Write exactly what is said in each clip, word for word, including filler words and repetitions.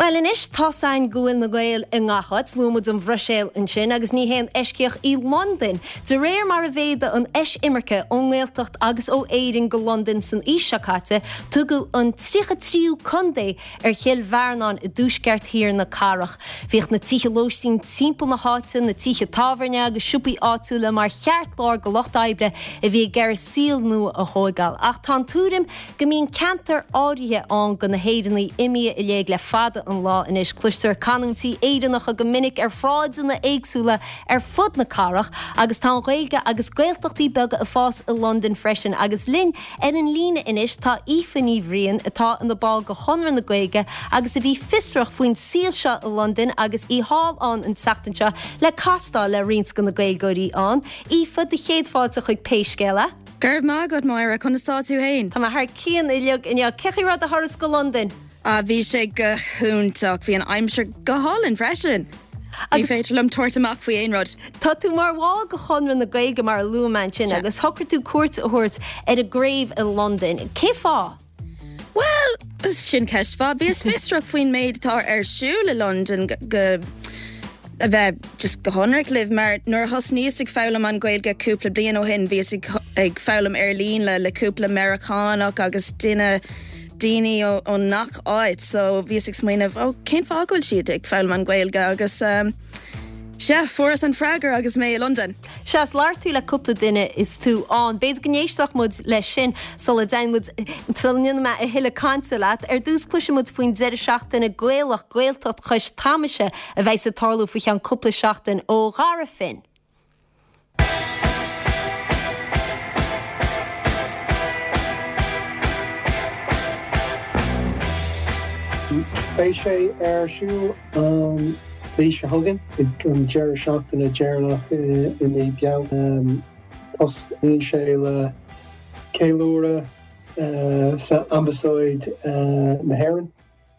Well anois tá's againn go bhfuil na Gaeil i ngach áit, luaigh muid an Bhruiséil ansin agus ní haon eisceacht í Londain. De réir mar a mhéadaigh an eisimirce ón nGaeltacht agus ó Éirinn go Londain san aois seo caite, tugadh an tríocha tríú contae ar Chill Bhearnáin i dtuaisceart thiar na cathrach. Bhíodh na tithe lóistín timpeall na háite, na tithe tábhairne agus siopaí áitiúla mar cheartlár go lucht oibre a bhí ag iarraidh saol nua a thógáil. Ach tá an tuairim go mbíonn ceantar áirithe ann go na hÉireannaigh imithe i léig le fada an lá anois cloistear canúintí Éireannacha go minic ar shráideanna éagsúla ar fud na cathrach agus tá an Ghaeilge agus Gaeltachtaí beaga ag fás i Londain freisin agus linn ar an líne anois tá Aoife Ní Bhriain atá ina ball go Chonradh na Gaeilge agus a bhí fiosrach faoin saol seo i Londain agus í thall ann an tseachtain seo le castáil le roinnt de na Gaeilgeoirí ann. Aoife do chéad fáilte chuig Pé Scéal É. Go raibh maith agat Máire conas tá tú féin. Tá mé thar cionn uilig inniu cén chaoi a raibh do thuras go Londain. A bhí sé go hiontach bhí an aimsir go hálainn freisin. Ní féidir liom tabhairt amach faoi aon rud. Tá tú mar bhall go Chonradh na Gaeilge mar a luaigh mé ansin agus shocraigh tú cuairt a thabhairt ar an gcraobh i Londain. Cé fáth? Well, sin ceist mhaith bhíos fiosrach faoin méid atá ar siúl i Londain go a bheith just go hionraic libh mar nuair a thosnaíos ag foghlaim an Ghaeilge cúpla bliain ó shin bhíos ag, ag foghlaim ar líne le le cúpla Meiriceánach agus duine daoine ó ngach áit so bhíos ag smaoineamh ó cén fáth go bhfuil siad ag foghlaim an Ghaeilge agus um, Sea, fuaireas an freagra agus mé i Londain. Sea labhair tú le cúpla duine is tú ann. B'fhéidir go n-éistfeadh muid leis sin sula dtéann muid sula ndéanfaidh mé a thuilleadh cainte leat. Ar dtús cloisfidh muid faoin deireadh seachtaine Gaelach Gaeltacht Chois Tamaise a bheidh ag tarlú faoi cheann cúpla seachtain ó Dhara Finn. Beidh sé ar siúl an mhí seo chugainn ag an deireadh seachtaine deireanach i mí Bealtaine. Tosnaíonn sé le ceiliúradh sa Ambasáid na hÉireann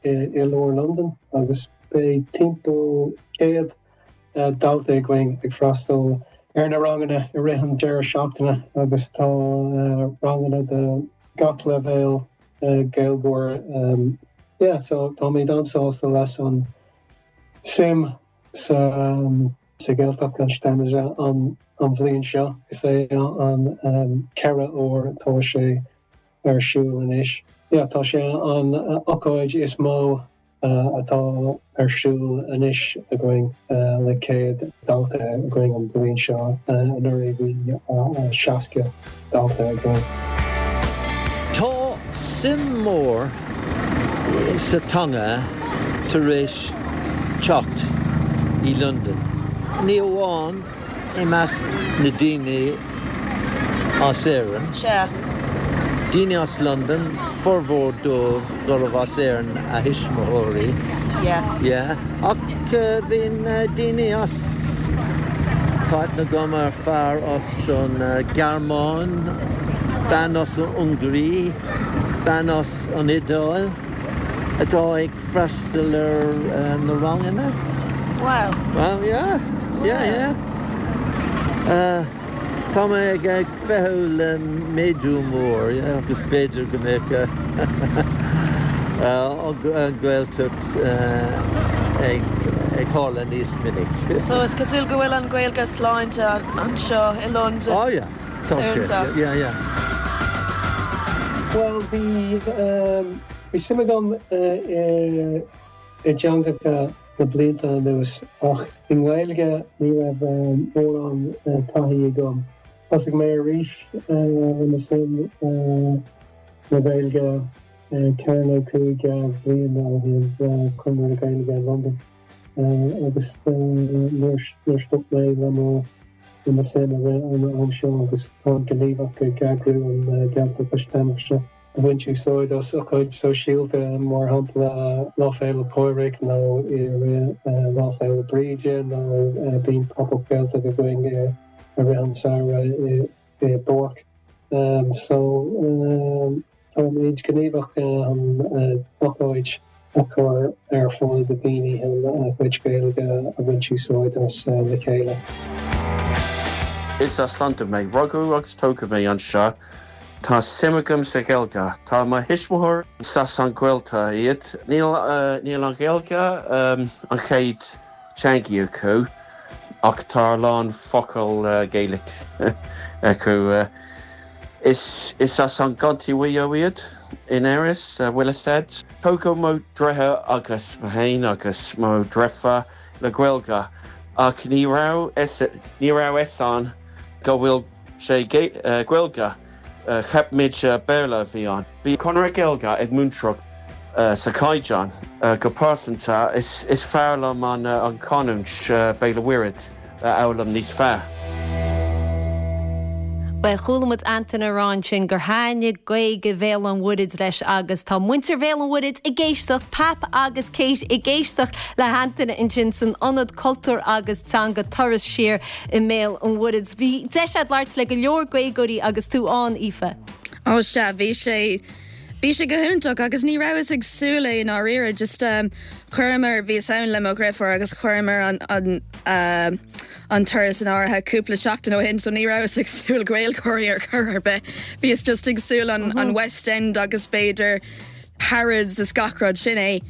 i lár Londain agus beidh timpeall céad dalta againn ag freastal ar na ranganna i rith an deireadh seachtaine agus tá ranganna de gach leibhéal Gaeilgeoir. Yeah, so táimid an-sásta leis an suim sa sa Ghaeltacht Chois Tamaise an an bhliain seo is é an ceathrú huair atá sé ar siúl anois. Yeah, tá sé an ócáid is mó atá ar siúl anois againn le céad dalta againn an bhliain seo anuraidh bhí seasca dalta againn. Tá suim mór sa teanga tar éis teacht i Londain. Ní amháin i measc na daoine as Éirinn. Sea. Daoine as Londain formhór dóibh gurbh as Éirinn a thuismitheoirí. Yeah. Yeah. Ach bhíonn daoine as tá aithne agam ar fear as an Ghearmáin, bean as an Ungáir, bean as an Iodáil atá ag freastal ar na ranganna. Wow. Well, yeah. Yeah, yeah. Uh, Tá mé ag ag feitheamh le méadú mór yeah, agus b'fhéidir go mbeidh an Ghaeltacht ag ag tharla níos minic. So is cosúil go bhfuil an Ghaeilge sláinte anseo i Londain. Oh yeah. Tá sé. Yeah, yeah. Well bhí bhí suim agam i i dteangacha na blianta anuas ach i nGaeilge ní raibh mórán taithí agam. Thosaigh mé arís le mo suim na Gaeilge ceithre nó cúig bliana ó shin le Conradh na Gaeilge i Londain agus níor stop mé le mo le mo suim i rith an am seo agus tá gníomhach ag eagrú an Ghaeltacht Chois Tamaise. Bhaint úsáid as ócáid sóisialta mar shampla Lá Fhéile Pádraig nó i rith Lá Fhéile Bríde nó bíonn pop-up Gaeltacht againn i rith an samhradh i i bpáirc. So táimid gníomhach an ócáid a chur ar fáil do daoine a chuid Gaeilge a bhaint úsáid as le chéile. Is as Londain mé rugadh agus tógadh mé anseo Tá suim agam sa Ghaeilge. Tá mo thuismitheoirí as an Ghaeltacht iad. Níl uh, níl an Ghaeilge um, an chéad teanga acu ach tá a lán focal uh, Gaelic acu. Uh, is is as an gContae Mhaigh Eo iad in Éirinn, uh, bhfuil said. Tógadh mo dheartháir agus mé féin agus mo dheirfiúr le Gaeilge ach ní raibh ní raibh fhios againn go bhfuil sé uh, Gaeilge uh, cheap muid uh, Béarla a bhí ann. Bhí Conradh Gaeilge ag múinteoir uh, sa caighdeán uh, go pearsanta is, is fearr liom an, uh, an canúint uh, Béal an Mhuirthead uh, fhoghlaim níos fearr. Well chuala muid Antain ag rá ansin gur thaitnigh Gaeilge Bhéal an Mhuirthead leis agus tá muintir Bhéal an Mhuirthead ag éisteacht Pap agus Kate ag éisteacht le hAntain ansin san ionad cultúr agus teanga Turas Siar i mBéal an Mhuirthead. Bhí deis agat labhairt le go leor Gaeilgeoirí agus tú ann Aoife. Ó sea bhí sé Bhí sé go hiontach agus ní rabhas ag súil i ndáiríre just um, chuireamar bhí ann le mo dheirfiúr agus chuireamar an, an, uh, an turas in áirithe cúpla seachtain ó shin, so ní rabhas ag súil Gaeilgeoirí ar chor ar bith. Bhíos just ag súil an, mm -hmm. an West End agus b'fhéidir Harrods is gach rud sin é.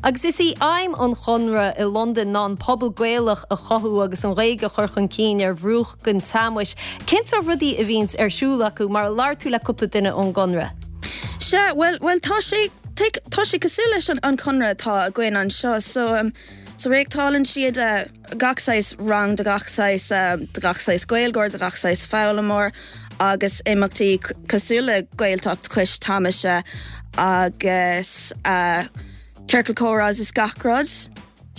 Agus is í aidhm an Chonartha i Londain ná an pobal Gaelach a chothú agus an Ghaeilge a chur chun cinn ar bhruach an Tamais. Cén sórt rudaí a bhíonns ar siúl acu mar labhair tú le cúpla duine ón gConradh. Sea, well well tá sé tá sé cosúil leis an an Conradh atá againn anseo so um, so reáchtálann siad uh, gach saghas rang de gach saghas um, de gach saghas Gaeilgeoir de gach saghas foghlaimeoir agus imeachtaí cosúil le Gaeltacht Chois Tamaise agus uh, ciorcal comhrá is gach rud.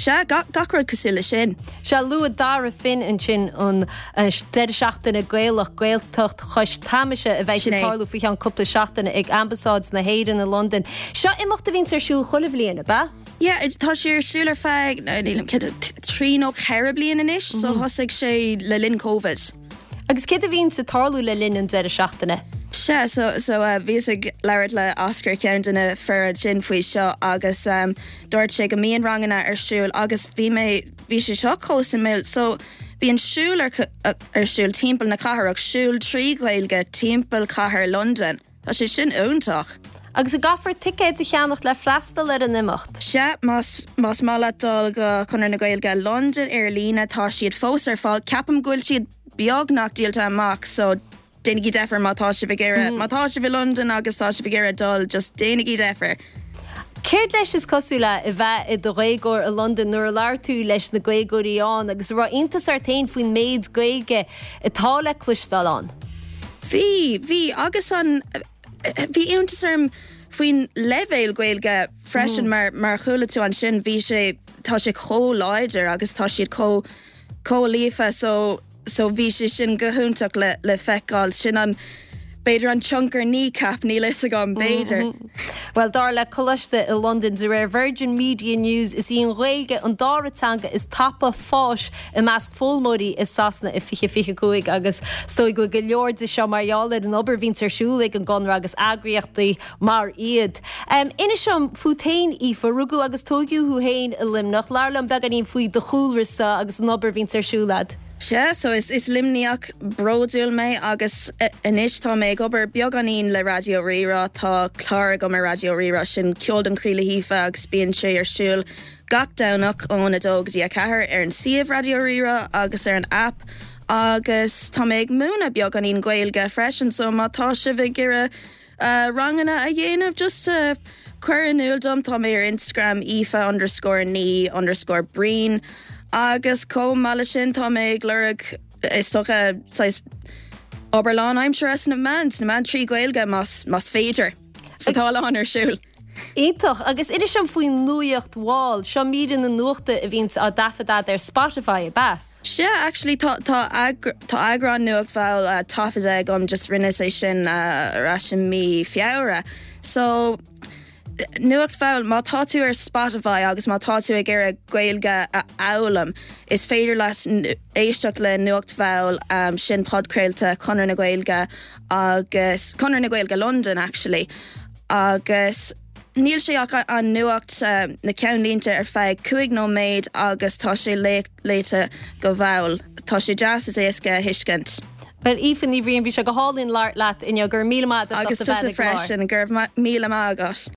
Sea gach rud cosúil le sin. Sea luaigh Dara Finn ansin an deireadh seachtaine Gaelach Gaeltacht Chois Tamaise a bheidh ag tarlú faoi cheann cúpla seachtaine ag Ambasáid na hÉireann i Londain. Seo imeacht a bhíonn ar siúl chuile bhliain, ab ea? Yeah, tá sé ar siúl ar feadh trí nó ceithre bliana anois, so mhm. thosaigh sé le linn COVID. Agus céard a bhíonn ag tarlú le linn an deireadh seachtaine. Sea so so uh, bhíos ag labhairt le Oscar ceann de na fir sin faoi seo agus um, dúirt sé go mbíonn ranganna ar siúl agus bhí mé bhí sé seo chomh suimiúil so bíonn siúl ar, ar siúl timpeall na cathrach siúl trí Ghaeilge timpeall cathair London. Tá sé sin iontach. Agus an gcaithfear ticéad a cheannach le freastal ar an imeacht. Sea más más maith leat dul go Conradh na Gaeilge London ar líne tá siad fós ar fáil ceapaim go bhfuil siad beagnach díolta amach so déanaigí deifir má tá sibh ag iarraidh má tá sibh i London agus tá sibh ag iarraidh dul just déanaigí deifir. Céard leis is cosúil le a bheith i do Ghaeilgeoir i Londain nuair a labhair tú leis na Gaeilgeoirí ann agus raibh iontas ort féin faoin méid Gaeilge atá le cloisteáil ann. Bhí bhí agus an bhí iontas orm faoin leibhéal Gaeilge freisin mm. mar mar chuala tú ansin bhí sé tá sé chomh láidir agus tá siad chomh chomh líofa so so bhí sé sin go hiontach le le feiceáil sin an b'fhéidir an tionchar Kneecap níl fhios agam b'fhéidir. Mm -hmm. Well dar le coláiste i London de réir Virgin Media News is í an Ghaeilge an dara teanga is tapa fáis i measc foghlaimeoirí i Sasana i fiche fiche cúig agus is dóigh go go leor de seo mar gheall ar an obair a bhíonn ar siúl ag an gConradh agus eagraíochtaí mar iad. Um, Inis dom fút féin Aoife rugadh agus tógadh thú féin i Luimneach, labhair liom beagáinín faoi do chúlra agus an obair a bhíonn ar siúl agat. Sea, so is is Luimníoch bródúil mé agus anois tá mé ag obair beagáinín le Raidió Rí-Rá tá clár agam ar Raidió Rí-Rá sin Ceol don Chroí le hAoife agus bíonn sé ar siúl gach Domhnach ón a dó go dtí a ceathair ar an suíomh Raidió Rí-Rá agus ar an app agus tá mé ag múineadh beagáinín Gaeilge freisin so má tá sibh ag iarraidh uh, ranganna a dhéanamh just uh, cuir in iúl dom tá mé ar Instagram Aoife underscore ní underscore Breen. agus chomh maith le sin tá mé ag lorg is dócha obair lánaimseartha sna meáin sna meáin trí Ghaeilge más más féidir. So tá an ar siúl. Iontach agus inis dom faoin Nuacht Mhall seo míreanna nuachta a bhíonn á dtaifeadadh ar Spotify ab ea. Sea actually tá tá tá eagrán Nuacht Mhall uh, taifeadta agam just rinne sé sin uh, ar ais i mí Feabhra. So Nuacht Mhall má tá tú ar Spotify agus má tá tú ag iarraidh Gaeilge a fhoghlaim is féidir leat éisteacht le Nuacht Mhall um, sin podchraolta Conradh na Gaeilge agus Conradh na Gaeilge London actually agus níl sé ach an nuacht uh, na ceannlínte ar feadh cúig nóiméad agus tá sé léite go mall. Tá sé deas is éasca a thuiscint. Well Aoife Ní Bhriain bhí sé go hálainn labhairt leat inniu go raibh míle maith Agus tusa freisin go raibh míle maith agat.